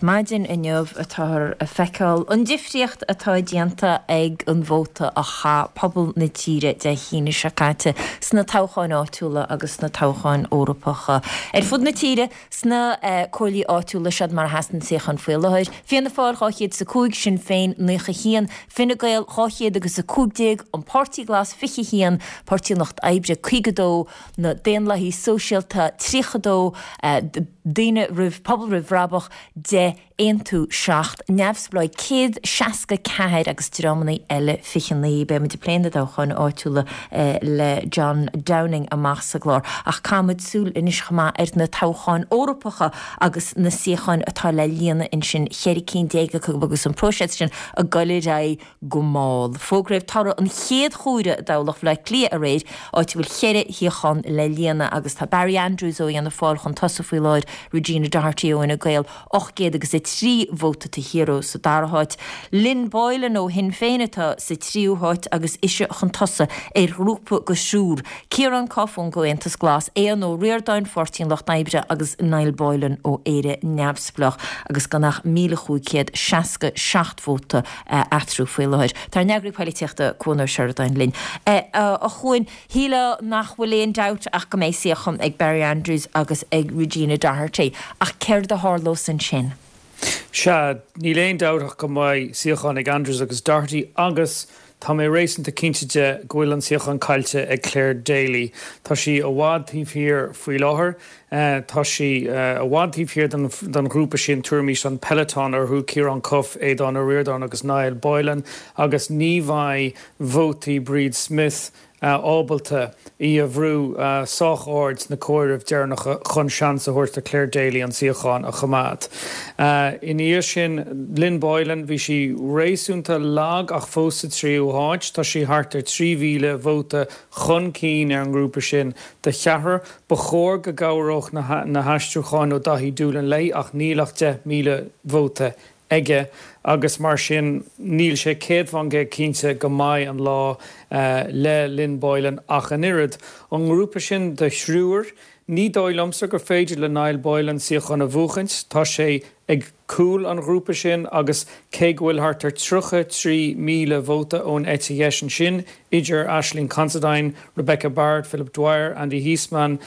Maidin inniu atáthar ag feiceáil an difríocht atá déanta ag an vóta a chaith pobal na tíre Dé hAoine seo caite sna toghcháin áitiúla agus sna toghcháin Eorpacha. Ar fud na tíre, sna comhairlí áitiúla, seod mar a sheasann na suíocháin faoi láthair, Fianna Fáil 205, Sinn Féin 91, Fine Gael 200 agus 15, An Páirtí Glas 21, Páirtí an Lucht Oibre 52, na Daonlathaithe Sóisialta 32, Daoine roimh, Pobal Roimh Bhrabach 10, Aontú 7, Neamhspleáigh 164 agus dreamanna eile 29. Beidh muid ag plé na dtoghcháin áitiúla le John Downing amach sa gclár ach caithfimid súil anois chomh maith ar na toghcháin Eorpacha agus na suíocháin atá le líonadh ansin, 14 cinn acu agus an próiseas sin ag dul ar aghaidh go mall. Fógraíodh toradh an chéad chomhaireamh i dtoghlach Bhaile Átha Cliath aréir, áit a bhfuil cheithre shuíochán le líonadh agus tá Barry Andrews ó Fhianna Fáil chun tosaigh faoi láthair, Regina Doherty ó Fhine Gael 800 agus 3 vóta taobh thiar dó sa dara háit. Lynn Boylan ó Shinn Féin atá sa tríú háit agus ise chun tosaigh ar ghrúpa de thriúr, Ciarán Cuffe ón gComhaontas Glas, Aodhán Ó Ríordáin, Pháirtí an Lucht Oibre agus Niall Boylan ó Éire Neamhspleách agus gan ach 1,567 vóta eatarthu faoi láthair. Tá ár n-eagraí poilitíochta Cuan Ó Seireadáin linn. A Chuain, shílfeá nach bhfuil aon dabht ach go mbeidh suíochán ag Barry Andrews agus ag Regina Doherty, ach céard a tharlós ansin? Sea, níl aon dabht ach go mbeidh suíochán ag Andrews agus Doherty agus tá mé réasúnta cinnte de go bhfuil an suíochán caillte ag Clare Daly. Tá sí i bhfad taobh thiar faoi láthair. Tá sí i bhfad taobh thiar den ghrúpa sin, tabharaimis an peloton orthu, Ciarán Cuffe, Aodhán Ó Ríordáin agus Niall Boylan, agus ní bheidh vótaí Bríd Smith ábalta í a bhrú sách ard sna comhairimh deireanacha chun seans a thabhairt do Clare Daly an suíochán a choimeád. Ina dhiaidh sin, Lynn Boylan, bhí sí réasúnta lag ach fós sa tríú háit. Tá sí thart ar 3,000 vóta chun cinn ar an ngrúpa sin de cheathrar. Ba chóir go gcabhródh na haistriúcháin ó Daithí Doolan léi ach níl ach 10,000 vóta aige agus mar sin níl sé 100% cinnte go mbeidh an lá le Lynn Boylan ach an oiread. Ón ngrúpa sin de thriúr, ní dóigh liomsa gur féidir le Niall Boylan suíochán a bhuachaint. Tá sé ag cúl an ghrúpa sin agus cé go bhfuil thart ar 33,000 vóta ón eite dheis ansin, idir Aisling Considine, Rebecca Barrett, Philip Dwyer, Andy Heasman,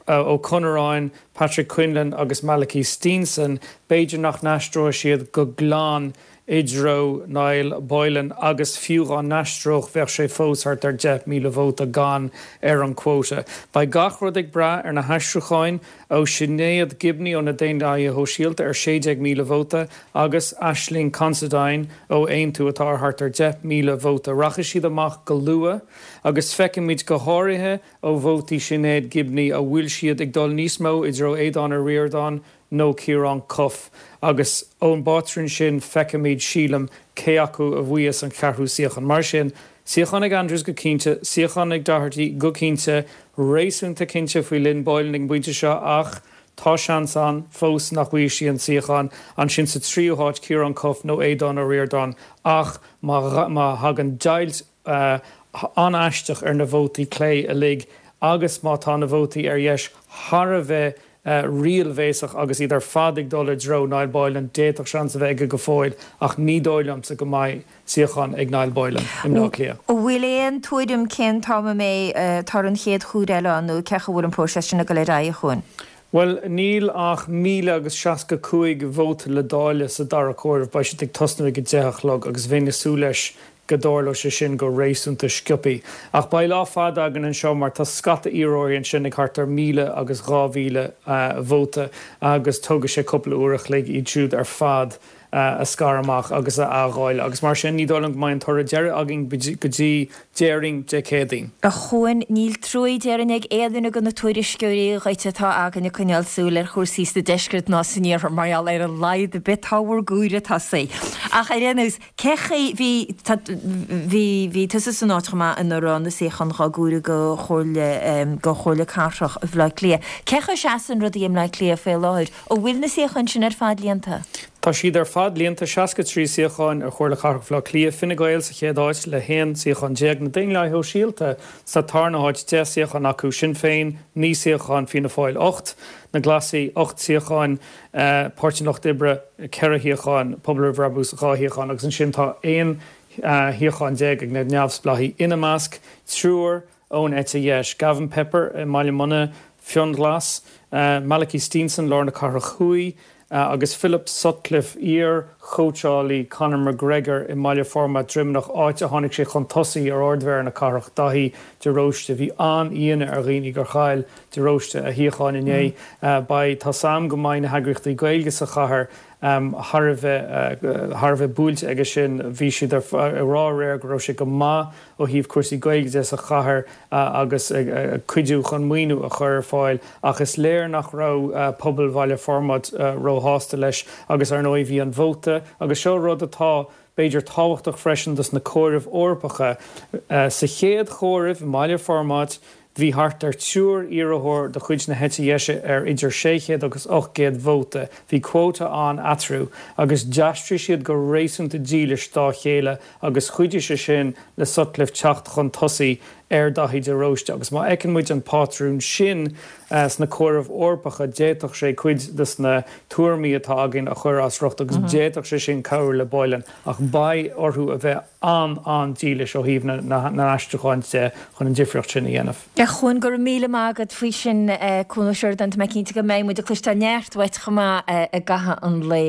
Ó Conluráin, Patrick Quinlan agus Malachy Steenson, b'fhéidir nach n-aistreoidh siad go glan i dtreo Niall Boylan agus fiú dhá n-aistreodh bheadh sé fós thart ar 10,000 vóta gann ar an quota. Beidh gach rud ag brath ar na haistriúcháin ó Sinéad Gibney ó na Daonlathaithe Shóisialta ar 16,000 vóta agus Aisling Considine ó Aontú atá ar thart ar 10,000 vóta. Rachaidh siad amach go luath agus feicfimid go háirithe ó vótaí Sinéad Gibney an bhfuil siad ag dul níos mó i dtreo Aodhán Ó Ríordáin nó Ciarán Cuffe agus ón bpátrún sin feicfimid, sílim, cé acu a bhuafas an ceathrú suíochán. Mar sin, suíochán ag Andrews go cinnte, suíochán ag Doherty go cinnte, réasúnta cinnte faoi Lynn Boylan ag an bpointe seo ach tá seans ann fós nach bhfaighidh sí an suíochán. Ansin sa tríú háit Ciarán Cuffe nó Aodhán Ó Ríordáin ach má thagann deighilt an-aisteach ar na vótaí clé uilig agus má tá na vótaí ar dheis thar a bheith ríalbhéasach agus iad ar fad ag dul i dtreo Niall Boylan, d'fhéadfadh seans a bheith aige go fóill ach ní dóigh liomsa go mbeidh suíochán ag Niall Boylan i mBleá Cliath. An bhfuil aon tuairim cén t-am a mbeidh toradh an chéad chomhaireamh eile ann nó cén chaoi a bhfuil an próiseas sin ag dul ar aghaidh, a Chuain? Bhuel, níl ach 1,065 vóta le dáileadh sa dara comhaireamh. Beidh siad ag tosnú ag 10 a chlog agus bheinn ag súil leis go dtarlóidh sé sin go réasúnta sciobthaí. Ach beidh lá fada againn anseo mar tá scata iarrthóirí ansin ag thart ar 1,000 agus 2,000 vóta agus tógfaidh sé cúpla uair a chloig iad siúd ar fad a scaradh amach agus a athdháileadh agus mar sin ní dóigh liom go mbeidh an toradh deiridh againn go dtí, déarfainn, Dé Céadaoin. A Chuain, níl truaí déarfainn ag aon duine de na tuairisceoirí dhuit atá againn ag coinneáil súil ar chúrsaí sa deisceart ná san iarthar mar gheall ar a laghad ar bith tá bhur gcomhaireamh tosaithe. Ach ar aon nós, Cé chaoi, bhí, tá, bhí, bhí tusa san áit chomh maith ina raibh na suíocháin dhá gcomhaireamh do Chomhairle, do Chomhairle Cathrach Bhaile Átha Cliath. Cé chaoi a seasann rudaí i mBleá Cliath faoi láthair? An bhfuil na suíocháin sin ar fad líonta? Tá siad ar fad líonta, 63 suíochán ar Chomhairle Cathrach Bhaile Átha Cliath, Fine Gael sa chéad áit le 11 suíochán, na Daonlathaithe Shóisialta sa tarna háit, 10 suíochán acu, Sinn Féin 9 suíochán, Fianna Fáil 8, Na Glasaigh 8 suíochán, Páirtí an Lucht Oibre 4 shuíochán, Pobal Roimh Bhrabús 2 shuíochán agus ansin tá 11 shuíochán ag na neamhspleáigh, ina measc triúr ón eite dheis, Gavin Pepper i mBaile Munna, Fionnghlas, Malachy Steenson, Lár na Cathrach Thuaidh, agus Philip Sutcliffe, iar-chóitseálaí Conor McGregor i mBaile Formaid, Droimeanach, áit a tháinig sé chun tosaigh ar Ard-Mhéara na cathrach, Daithí de Róiste. Bhí an-ionadh ar dhaoine gur chaill de Róiste a shuíochán inné. Beidh, tá 's a'm go mbeidh na heagraíochtaí Gaeilge sa chathair thar a bheith, thar a bheith buailte aige sin. Bhí siad ag rá aréir go raibh sé go maith ó thaobh cúrsaí Gaeilge de sa chathair agus ag cuidiú chun maoiniú a chur ar fáil ach is léir nach raibh pobal Bhaile Formaid róshásta leis agus ar ndóigh bhí an vóta agus seo rud atá b'fhéidir tábhachtach freisin dos na comhairimh Eorpacha. Sa chéad chomhaireamh i mBaile Formaid Bhí thart ar triúr iarrthóir de chuid na heite dheise ar idir 600 agus 800 vóta. Bhí quota ann eatarthu agus d'aistrigh siad go réasúnta dílis dá chéile agus chuidigh sé sin le Sutcliffe teacht chun tosaigh ar Daithí de Róiste. Agus má fheiceann muid an pátrún sin sna comhairimh Eorpacha d'fhéadfadh sé cuid de na tuairimí atá againn a chur as riocht agus d'fhéadfadh sé sin cabhrú le Boylan. Ach beidh orthu a bheith an-an-dílis ó thaobh na n-aistriúchán de chun an difríocht sin a dhéanamh. A Chuain, go raibh míle maith agat faoi sin, Cuan Ó Seireadáin. Tá mé cinnte go mbeidh muid ag cloisteáil neart uait chomh maith i gcaitheamh an lae.